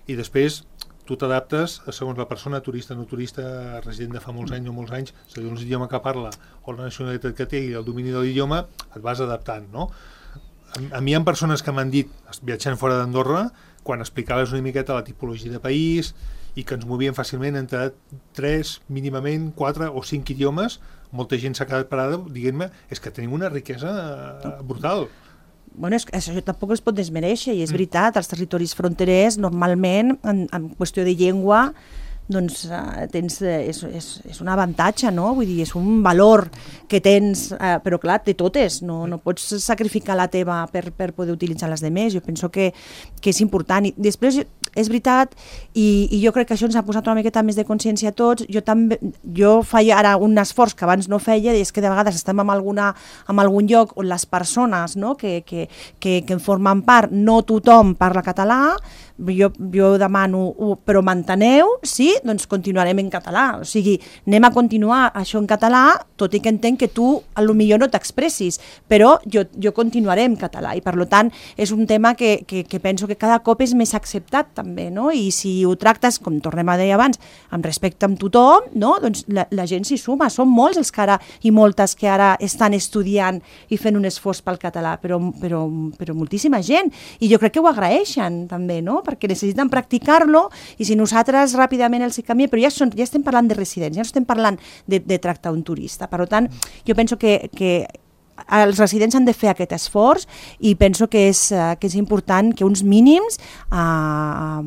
i després tu t'adaptes segons la persona, turista, no turista, resident de fa molts anys o molts anys, segons l'idioma que parla o la nacionalitat que té i el domini de l'idioma, et vas adaptant, no? A, a mi hi ha persones que m'han dit, viatjant fora d'Andorra, quan explicaves una miqueta la tipologia de país i que ens movien fàcilment entre tres, mínimament, quatre o cinc idiomes, molta gent s'ha quedat parada dient-me, és que tenim una riquesa brutal. Bueno, és, això tampoc es pot desmereixer i és veritat, els territoris fronterers normalment en, en qüestió de llengua doncs uh, tens, és, és, és un avantatge, no? Vull dir, és un valor que tens, uh, però clar, té totes, no, no pots sacrificar la teva per, per poder utilitzar les demés, jo penso que, que és important. I després, és veritat, i, i jo crec que això ens ha posat una miqueta més de consciència a tots, jo també, jo faig ara un esforç que abans no feia, i és que de vegades estem en, alguna, en algun lloc on les persones, no? que, que, que, que en formen part, no tothom parla català, jo, jo demano, però m'enteneu? Sí? Doncs continuarem en català. O sigui, anem a continuar això en català, tot i que entenc que tu potser no t'expressis, però jo, jo continuaré en català i per tant és un tema que, que, que penso que cada cop és més acceptat també, no? I si ho tractes, com tornem a dir abans, amb respecte amb tothom, no? Doncs la, la gent s'hi suma. Són molts els que ara, i moltes que ara estan estudiant i fent un esforç pel català, però, però, però moltíssima gent. I jo crec que ho agraeixen també, no? Perquè necessiten practicar-lo i si nosaltres ràpidament els hi canviem, però ja, són, ja estem parlant de residents, ja no estem parlant de, de tractar un turista. Per tant, jo penso que, que els residents han de fer aquest esforç i penso que és, que és important que uns mínims eh,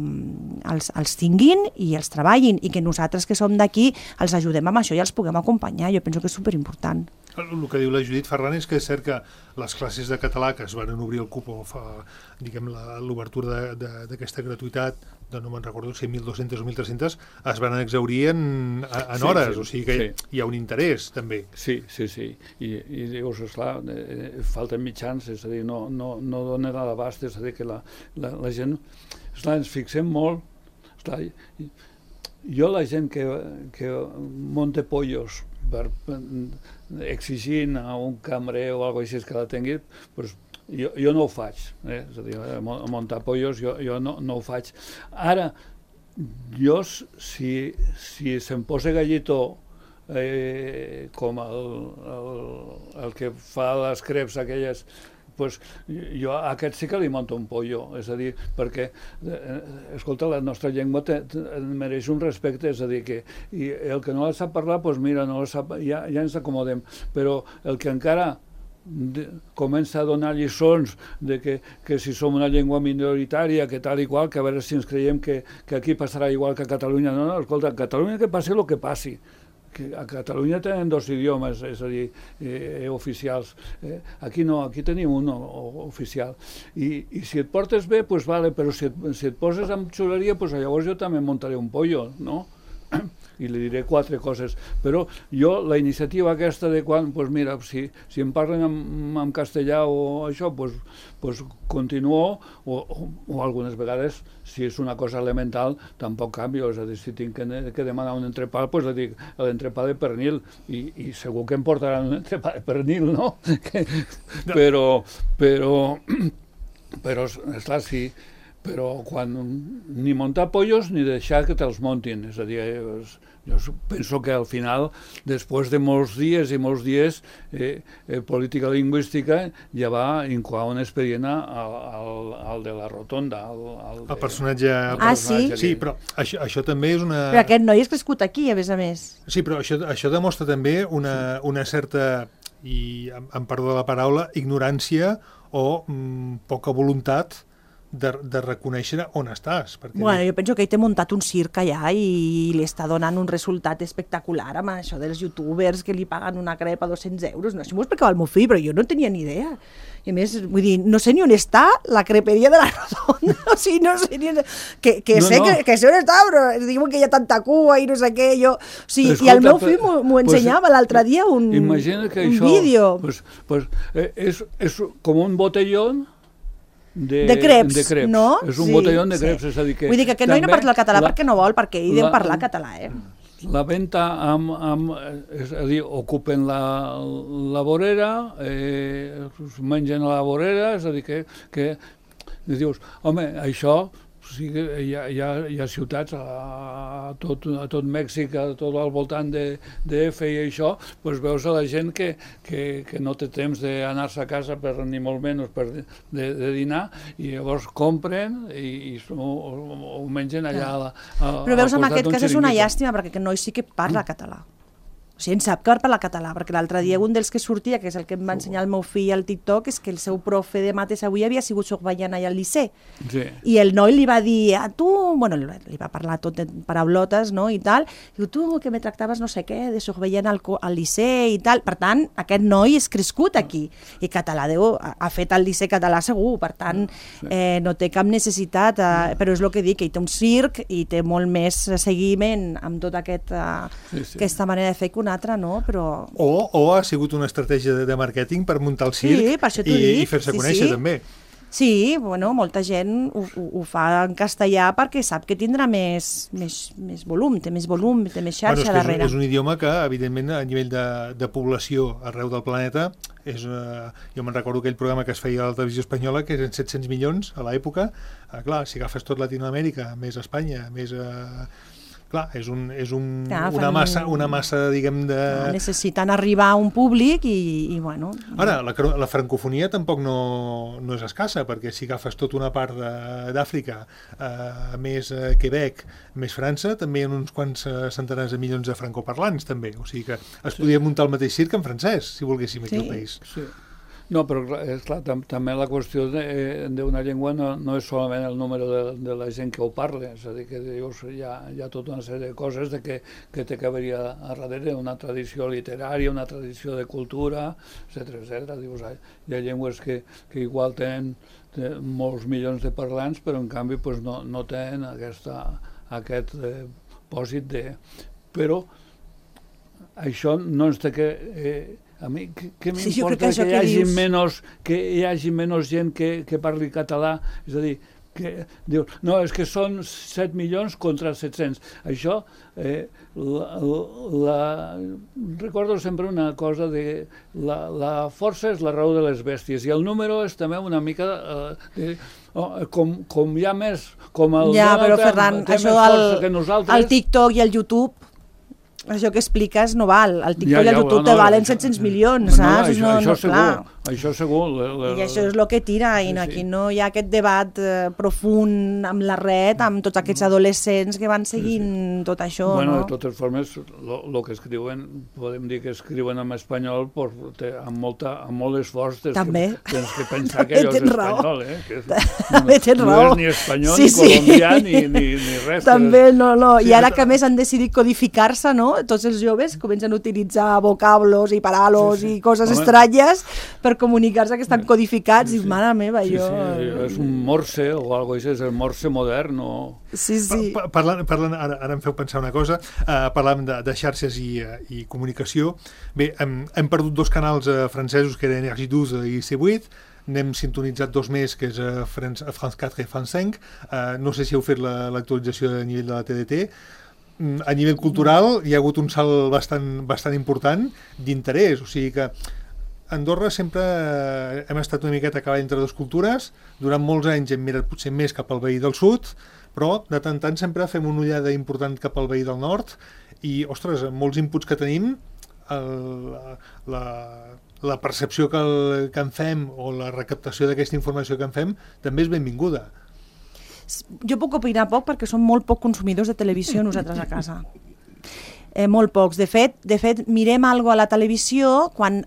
els, els tinguin i els treballin i que nosaltres que som d'aquí els ajudem amb això i els puguem acompanyar. Jo penso que és superimportant. El que diu la Judit Ferran és que és cert que les classes de català que es van obrir el cupo fa, diguem, l'obertura d'aquesta gratuïtat, de no me'n recordo si mil dues-centes o mil tres-centes, es van exaurir en, en sí, hores, sí, o sigui que sí. hi ha un interès també. Sí, sí, sí, i, i dius, esclar, eh, falten mitjans, és a dir, no, no, no donen a l'abast, és a dir, que la, la, la gent, esclar, ens fixem molt, esclar, jo la gent que, que monta pollos per, per exigint a un cambrer o alguna cosa així que la tingui, doncs Jo, jo no ho faig, eh? És a dir, muntar pollos jo, jo no, no ho faig. Ara, jo, si, si se'm posa Gallito eh, com el, el, el que fa les creps aquelles, pues, jo a aquest sí que li monto un pollo, és a dir, perquè, eh, escolta, la nostra llengua te, te, mereix un respecte, és a dir, que i el que no la sap parlar, pues mira, no la sap, ja, ja ens acomodem, però el que encara De, comença a donar lliçons de que, que si som una llengua minoritària, que tal i qual, que a veure si ens creiem que, que aquí passarà igual que a Catalunya. No, no, escolta, a Catalunya que passi el que passi. Que a Catalunya tenen dos idiomes, és a dir, eh, oficials. Eh, aquí no, aquí tenim un o, oficial. I, I si et portes bé, doncs vale, però si et, si et poses amb xuleria, doncs llavors jo també muntaré un pollo, no? I li diré quatre coses, però jo la iniciativa aquesta de quan, doncs mira, si, si em parlen en, en castellà o això, doncs, doncs continuo, o, o, o algunes vegades, si és una cosa elemental, tampoc canvio, és a dir, si tinc que, que demanar un entrepà, doncs li dic l'entrepà de pernil, i, i segur que em portaran un entrepà de pernil, no? Que, però, però, però, esclar, sí, però quan ni muntar pollos ni deixar que te'ls muntin, és a dir, jo penso que al final, després de molts dies i molts dies, eh, eh, política lingüística ja va incoar un expedient al, al, al de la rotonda. Al, al de, el personatge... El ah, personatge sí? Sí, però això, això també és una... Però aquest noi és crescut aquí, a més a més. Sí, però això, això demostra també una, una certa, i em perdó de la paraula, ignorància o mm, poca voluntat De, de reconèixer on estàs. Perquè bueno, jo penso que ell té muntat un circ allà i li està donant un resultat espectacular amb això dels youtubers que li paguen una crepa a dos-cents euros. No sé, m'ho explicava el meu fill, però jo no tenia ni idea. I a més, vull dir, no sé ni on està la creperia de la Rotonda. O sigui, no sé ni on... Que, que no, sé no. Que, que sé on està, però diuen que hi ha tanta cua i no sé què. Jo... O sigui, escolta, i el meu fill m'ho ensenyava pues, l'altre dia, un, imagina que un això, vídeo. Pues, pues, eh, és, és com un botellón De, de creps, de creps, no? És un sí, botelló de creps, sí. És a dir que... Vull dir que aquest noi no parla el català la, perquè no vol, perquè ell deu parlar català, eh? La venta amb, amb... És a dir, ocupen la, la vorera, eh, mengen a la vorera, és a dir que... que dius, home, això... O sigui, hi ha, hi ha, hi ha ciutats a tot, a tot Mèxic, a tot al voltant de, de F i això, doncs veus a la gent que, que, que no té temps d'anar-se a casa per ni molt menys per de, de, de dinar, i llavors compren i, i ho, ho mengen allà a la, a, però veus, en aquest cas és una xiringuito. llàstima, perquè aquest noi sí que parla català. O sigui, en sap que parla català, perquè l'altre dia un dels que sortia, que és el que em va ensenyar el meu fill al TikTok, és que el seu profe de mates avui havia sigut surveillant allà al liceu. Sí. I el noi li va dir, a tu, bueno, li va parlar tot en paraulotes, no?, i tal, diu, tu que me tractaves no sé què, de surveillant al, al liceu i tal. Per tant, aquest noi és crescut aquí, i català deu, ha fet el liceu català segur, per tant, eh, no té cap necessitat, eh, però és el que dic, que hi té un circ i té molt més seguiment amb tota aquest, eh, sí, sí. aquesta manera de fer que un altre, no? Però... O, o ha sigut una estratègia de, de màrqueting per muntar el circ sí, per i, i fer-se sí, conèixer, sí. també. Sí, bueno, molta gent ho, ho, ho fa en castellà perquè sap que tindrà més, més, més volum, té més volum, té més xarxa bueno, és darrere. És, és un idioma que, evidentment, a nivell de, de població arreu del planeta, és, uh, jo me'n recordo aquell programa que es feia a la televisió espanyola, que eren set-cents milions a l'època. Uh, clar, si agafes tot Latinoamèrica, més Espanya, més... Uh, clar, és, un, és un, clar, una, massa, una massa, diguem, de... Clar, necessiten arribar a un públic i, i bueno... Ara, la, la francofonia tampoc no, no és escassa, perquè si agafes tota una part d'Àfrica, eh, més eh, Quebec, més França, també hi ha uns quants eh, centenars de milions de francoparlants, també. O sigui que es podria muntar el mateix circ en francès, si volguéssim, aquí sí. al país. Sí. No, però és clar, tam també la qüestió d'una llengua no, no és solament el número de, de la gent que ho parla, és a dir, que dius, hi ha, hi ha tota una sèrie de coses de que, que té que haver-hi a, a darrere, una tradició literària, una tradició de cultura, etcètera, etcètera. Dius, hi ha llengües que, que igual tenen molts milions de parlants, però en canvi pues, no, no tenen aquesta, aquest eh, pòsit de... Però això no ens té que... Eh, a mi, què m'importa sí, que, que, hi hagi menys, que hi hagi menys gent que, que parli català? És a dir, que dius, no, és que són set milions contra set-cents. Això, eh, la, la, recordo sempre una cosa de la, la força és la raó de les bèsties i el número és també una mica eh, de, oh, com, com hi ha més, com el ja, però, té, Ferran, té això més força el, que nosaltres. El TikTok i el YouTube, això que expliques no val. El TikTok ja, ja, i el YouTube no, te valen això, set-cents milions, no, saps? Això, no, això no, segur, clar. això segur. Le, le, I això és el que tira, i no, aquí no hi ha aquest debat eh, profund amb la red, amb tots aquests adolescents que van seguint sí, sí. tot això. Bueno, no? de totes formes, el que escriuen, podem dir que escriuen en espanyol por, te, amb, molta, amb molt esforç. També. Que, tens que pensar que allò és espanyol, eh? Que és, També tens no, raó. No és ni espanyol, sí, ni colombià, sí. ni, ni, ni res. També, no, no. Sí, I ara que més han decidit codificar-se, no? Tots els joves comencen a utilitzar vocablos i paralos sí, sí. i coses Home. estranyes per comunicar-se que estan codificats sí, sí. i mare meva, sí, jo... Sí, és un morse o alguna cosa, és el morse modern o... Sí, sí. Pa parlant, parlant ara, ara em feu pensar una cosa, uh, parlàvem de, de xarxes i, uh, i comunicació. Bé, hem, hem perdut dos canals uh, francesos, que eren Energie douze i C vuit, n'hem sintonitzat dos més, que és uh, France, France quatre i France cinc. Uh, no sé si heu fet l'actualització la, a nivell de la T D T. A nivell cultural hi ha hagut un salt bastant, bastant important d'interès, o sigui que Andorra sempre hem estat una miqueta a cavall entre dues cultures, durant molts anys hem mirat potser més cap al veí del sud, però de tant en tant sempre fem una ullada important cap al veí del nord i, ostres, molts inputs que tenim, el, la, la percepció que, el, que en fem o la recaptació d'aquesta informació que en fem també és benvinguda. Jo puc opinar poc perquè som molt poc consumidors de televisió nosaltres a casa. Eh, molt pocs. De fet, de fet mirem alguna a la televisió quan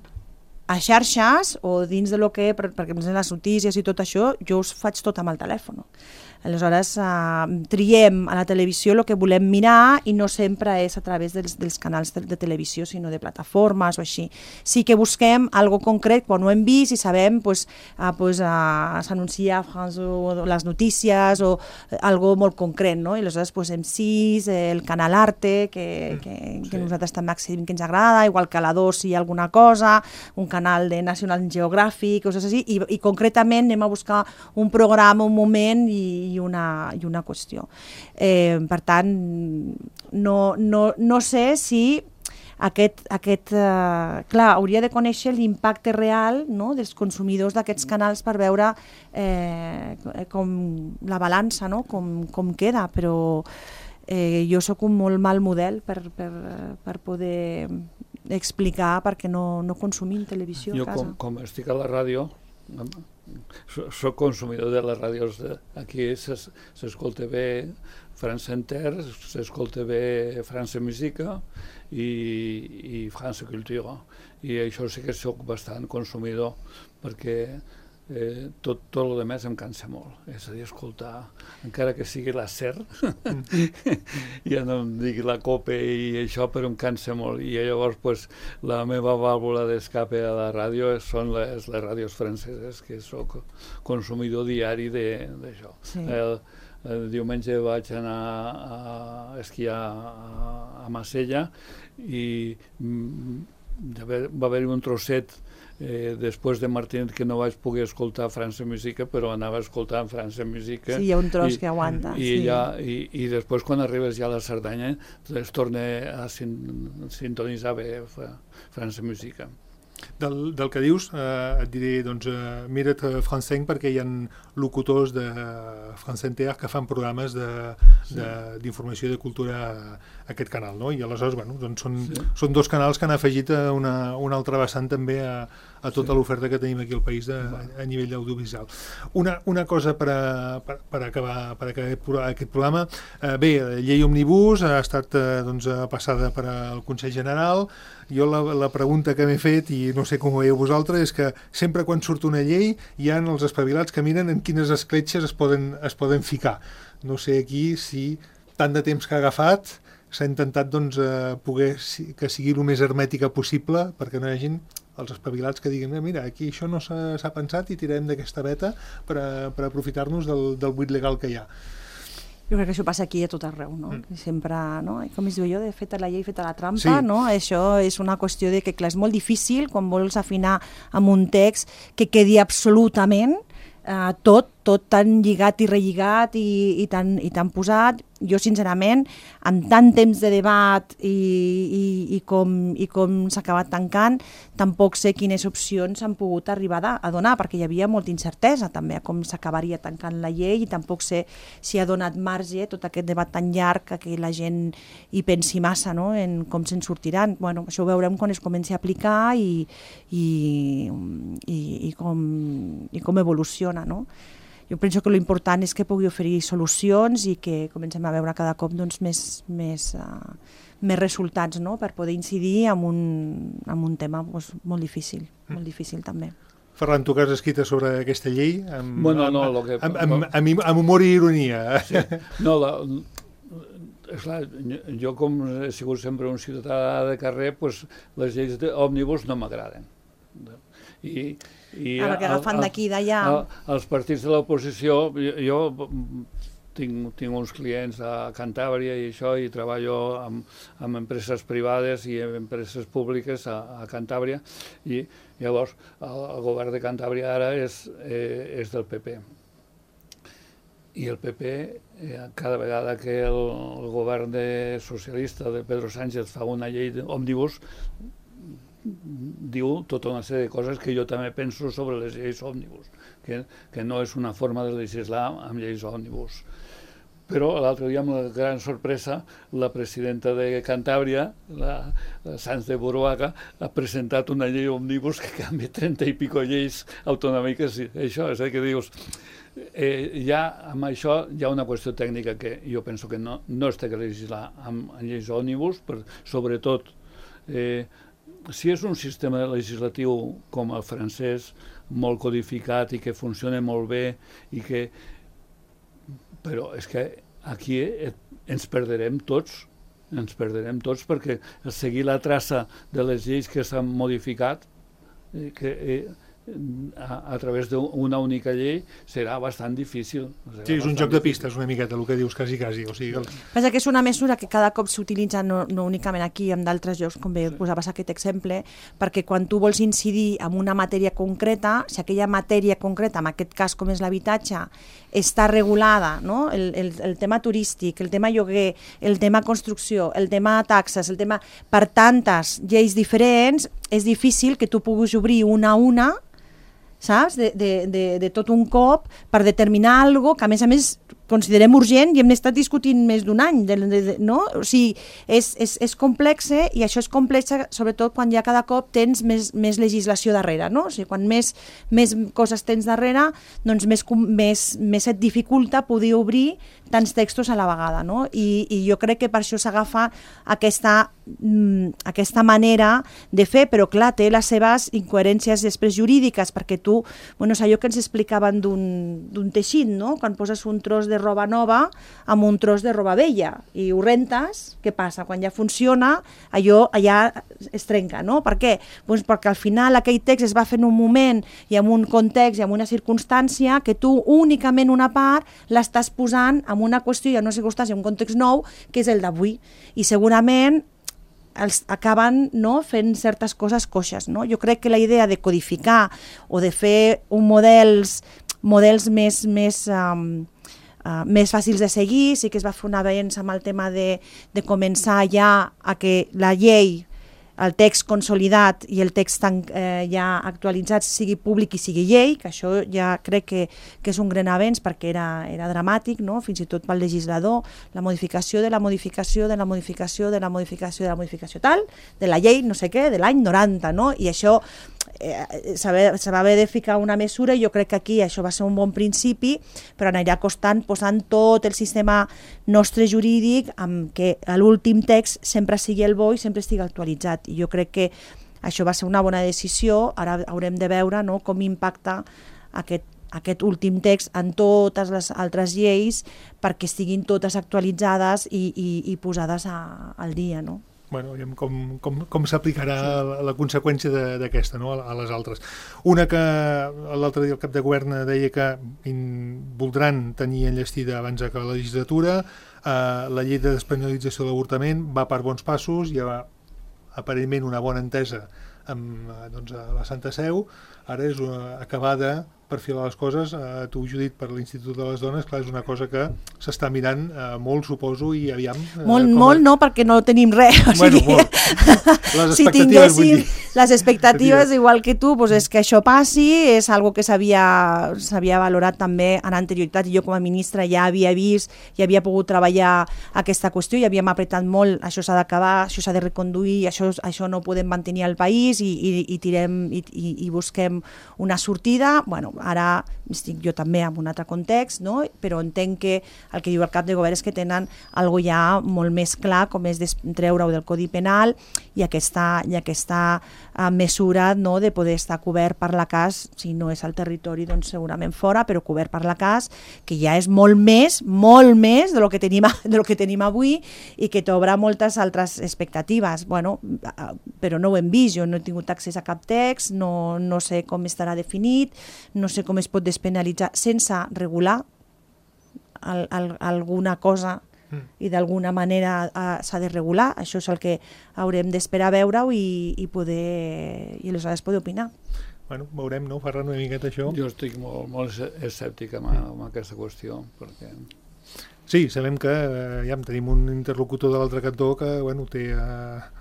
a xarxes o dins de lo que, per, perquè les notícies i tot això, jo us faig tot amb el telèfon. Aleshores, eh, triem a la televisió el que volem mirar i no sempre és a través dels, dels canals de, de televisió, sinó de plataformes o així. Sí que busquem algo concret quan ho hem vist i sabem pues, eh, pues, eh, s'anuncia a France o les notícies o algo molt concret, no? I aleshores pues, M sis, el canal Arte, que, que, que sí. nosaltres també accedim que ens agrada, igual que a la dos si hi ha alguna cosa, un canal de National Geographic, coses així, i, i concretament anem a buscar un programa, un moment i i una, i una qüestió. Eh, per tant, no, no, no sé si aquest, aquest eh, clar, hauria de conèixer l'impacte real, no?, dels consumidors d'aquests canals per veure eh, com la balança, no?, com, com queda, però eh, jo sóc un molt mal model per, per, per poder explicar perquè no, no consumim televisió jo a casa. Jo com, com estic a la ràdio, soc consumidor de les ràdios de, aquí s'escolta bé France Inter, s'escolta bé France Musica i, i France Culture i això sí que soc bastant consumidor perquè eh, tot, tot el demés em cansa molt, és a dir, escoltar encara que sigui la SER ja no em digui la COPE i això, però em cansa molt i llavors pues, la meva vàlvula d'escape a la ràdio són les, les ràdios franceses, que sóc consumidor diari d'això. Sí. El, el diumenge vaig anar a esquiar a, a Marsella i mm, va haver-hi un trosset Eh, després de Martinet que no vaig poder escoltar France Musica, però anava escoltant France Musica. Sí, hi ha un tros i, que aguanta. I, sí. ja, i, I després, quan arribes ja a la Cerdanya, es torna a sin, sintonitzar bé France Musica. Del, del que dius, eh, et diré, doncs, eh, mira't France cinc perquè hi ha locutors de France Inter que fan programes d'informació i de cultura a aquest canal, no? I aleshores, bueno, doncs són, sí. són dos canals que han afegit una, una altra vessant també a, a tota sí. l'oferta que tenim aquí al país de, a, a nivell audiovisual. Una, una cosa per, a, per, per acabar, per acabar aquest programa, eh, bé, la llei Òmnibus ha estat eh, doncs, passada per al Consell General. Jo la, la pregunta que m'he fet, i no sé com ho veieu vosaltres, és que sempre quan surt una llei hi ha els espavilats que miren en quines escletxes es poden, es poden ficar. No sé aquí si tant de temps que ha agafat s'ha intentat doncs, eh, poder que sigui el més hermètica possible perquè no hi hagin els espavilats que diguin mira, aquí això no s'ha pensat i tirem d'aquesta veta per, a, per aprofitar-nos del, del buit legal que hi ha. Jo crec que això passa aquí a tot arreu, no? Mm. Sempre, no? Com es diu jo, de feta la llei, feta la trampa, sí. No? Això és una qüestió de que, clar, és molt difícil quan vols afinar amb un text que quedi absolutament eh, tot, tot tan lligat i relligat i, i, tan, i tan posat. Jo, sincerament, amb tant temps de debat i, i, i com, i com s'ha acabat tancant, tampoc sé quines opcions s'han pogut arribar a donar, perquè hi havia molta incertesa també a com s'acabaria tancant la llei i tampoc sé si ha donat marge tot aquest debat tan llarg que la gent hi pensi massa, no?, en com se'n sortiran. Bueno, això ho veurem quan es comenci a aplicar i, i, i, i, com, i com evoluciona, no? Jo penso que l'important és que pugui oferir solucions i que comencem a veure cada cop doncs, més, més, uh, més resultats, no?, per poder incidir en un, en un tema doncs, molt difícil, molt difícil també. Ferran, tu que has escrit sobre aquesta llei amb, bueno, no, amb, lo que, amb, amb, amb, amb humor i ironia. Sí. No, la, esclar, jo com he sigut sempre un ciutadà de carrer, pues, les lleis òmnibus no m'agraden. I, i ah, perquè agafant d'aquí i d'allà... Els partits de l'oposició, jo, jo tinc, tinc uns clients a Cantàbria i això, i treballo amb, amb empreses privades i empreses públiques a, a Cantàbria, i llavors el, el govern de Cantàbria ara és, eh, és del P P. I el P P, eh, cada vegada que el, el govern de socialista de Pedro Sánchez fa una llei òmnibus, diu tota una sèrie de coses que jo també penso sobre les lleis òmnibus, que, que no és una forma de legislar amb lleis òmnibus. Però l'altre dia, amb la gran sorpresa, la presidenta de Cantàbria, la, la Sanz de Buruaga, ha presentat una llei òmnibus que canvia trenta i pico lleis autonòmiques. I això és el que dius. Eh, ja amb això hi ha una qüestió tècnica que jo penso que no, no es té que legislar amb, amb lleis òmnibus, però sobretot eh, si és un sistema legislatiu com el francès, molt codificat i que funciona molt bé, i que... però és que aquí ens perderem tots, ens perderem tots perquè seguir la traça de les lleis que s'han modificat que, eh, a, a través d'una única llei serà bastant difícil. Sí, és un joc de pistes una miqueta, el que dius, quasi, quasi. O sigui, el... Pensa que és una mesura que cada cop s'utilitza no, no únicament aquí, en d'altres llocs, com bé posaves aquest exemple, perquè quan tu vols incidir en una matèria concreta, si aquella matèria concreta, en aquest cas com és l'habitatge, està regulada, no? el, el, el tema turístic, el tema lloguer, el tema construcció, el tema taxes, el tema per tantes lleis diferents, és difícil que tu puguis obrir una a una, saps? De, de, de, de tot un cop per determinar alguna cosa que a més a més considerem urgent i hem estat discutint més d'un any, de, de, de, no? O sigui, és, és, és complexe, i això és complexe sobretot quan ja cada cop tens més, més legislació darrere, no? O sigui, quan més, més coses tens darrere, doncs més, més, més et dificulta poder obrir tants textos a la vegada, no? I, i jo crec que per això s'agafa aquesta, mm, aquesta manera de fer, però clar, té les seves incoherències després jurídiques, perquè tu, bueno, és allò que ens explicaven d'un teixit, no? Quan poses un tros de roba nova amb un tros de roba vella i ho rentes, què passa? Quan ja funciona, allò allà es trenca, no? Per què? Doncs perquè al final aquell text es va fer en un moment i en un context i en una circumstància que tu únicament una part l'estàs posant en una qüestió i en una circumstància, en un context nou, que és el d'avui. I segurament els acaben, no, fent certes coses coixes, no? Jo crec que la idea de codificar o de fer un models, models més, més, um, uh, més fàcils de seguir, sí que es va fer un avenç amb el tema de, de començar ja a que la llei, el text consolidat i el text tan, eh, ja actualitzat sigui públic i sigui llei, que això ja crec que, que és un gran avenç perquè era, era dramàtic, no? Fins i tot pel legislador, la modificació de la modificació de la modificació de la modificació de la modificació tal, de la llei no sé què, de l'any noranta, no? I això eh, se va haver de ficar una mesura i jo crec que aquí això va ser un bon principi, però anirà costant posant tot el sistema nostre jurídic amb que l'últim text sempre sigui el bo i sempre estigui actualitzat. I jo crec que això va ser una bona decisió, ara haurem de veure, no, com impacta aquest, aquest últim text en totes les altres lleis perquè estiguin totes actualitzades i, i, i posades a, al dia, no? Bueno, aviam com, com, com s'aplicarà sí. la, la conseqüència d'aquesta, no? a, a les altres. Una que l'altre dia el cap de govern deia que in, voldran tenir enllestida abans de la legislatura, eh, la llei de despenalització de l'avortament va per bons passos, hi ha aparentment una bona entesa amb doncs, a la Santa Seu, ara és una, acabada per filar les coses, eh, tu, Judit, per l'Institut de les Dones, clar, és una cosa que s'està mirant eh, molt, suposo, i aviam... Eh, molt, molt a... no, perquè no tenim res. O sigui, bueno, molt. Les si expectatives, vull dir. Les expectatives, igual que tu, doncs és que això passi, és algo que s'havia valorat també en anterioritat, i jo com a ministra ja havia vist, ja havia pogut treballar aquesta qüestió, i havíem apretat molt, això s'ha d'acabar, això s'ha de reconduir, això, això no ho podem mantenir al país, i, i, i tirem i, i, i busquem una sortida. Bueno, ara estic jo també en un altre context, no? Però entenc que el que diu el cap de govern és que tenen algo ja molt més clar, com és treure-ho del Codi Penal i aquesta, i aquesta uh, mesura, no, de poder estar cobert per la C A S, si no és al territori, doncs segurament fora, però cobert per la C A S, que ja és molt més, molt més de lo que tenim, de lo que tenim avui i que t'obre moltes altres expectatives. Bueno, uh, però no ho hem vist, jo no he tingut accés a cap text, no, no sé com estarà definit, no sé com es pot despenalitzar sense regular el, el, alguna cosa mm. i d'alguna manera uh, s'ha de regular. Això és el que haurem d'esperar a veure-ho i, i poder i aleshores poder opinar. Bueno, veurem, no, Ferran, una miqueta això? Jo estic molt, molt escèptic amb, amb aquesta qüestió, perquè... Sí, sabem que eh, ja tenim un interlocutor de l'altre cantó que, bueno, té... Eh,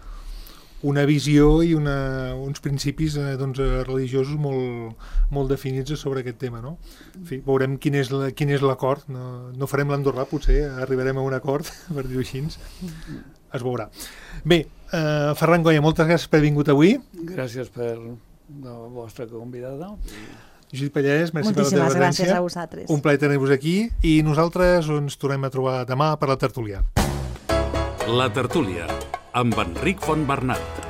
una visió i una, uns principis eh, doncs, religiosos molt, molt definits sobre aquest tema, no? En fi, veurem quin és, la, quin és l'acord, no, no farem l'Andorrà, potser arribarem a un acord, per dir-ho així, es veurà. Bé, eh, Ferran Goya, moltes gràcies per haver vingut avui. Gràcies per la vostra convidada. Judit Pallès, merci moltíssimes per la teva gràcies a vosaltres. Un plaer tenir-vos aquí i nosaltres ens tornem a trobar demà per la tertúlia. La tertúlia amb Enric Fontbernat.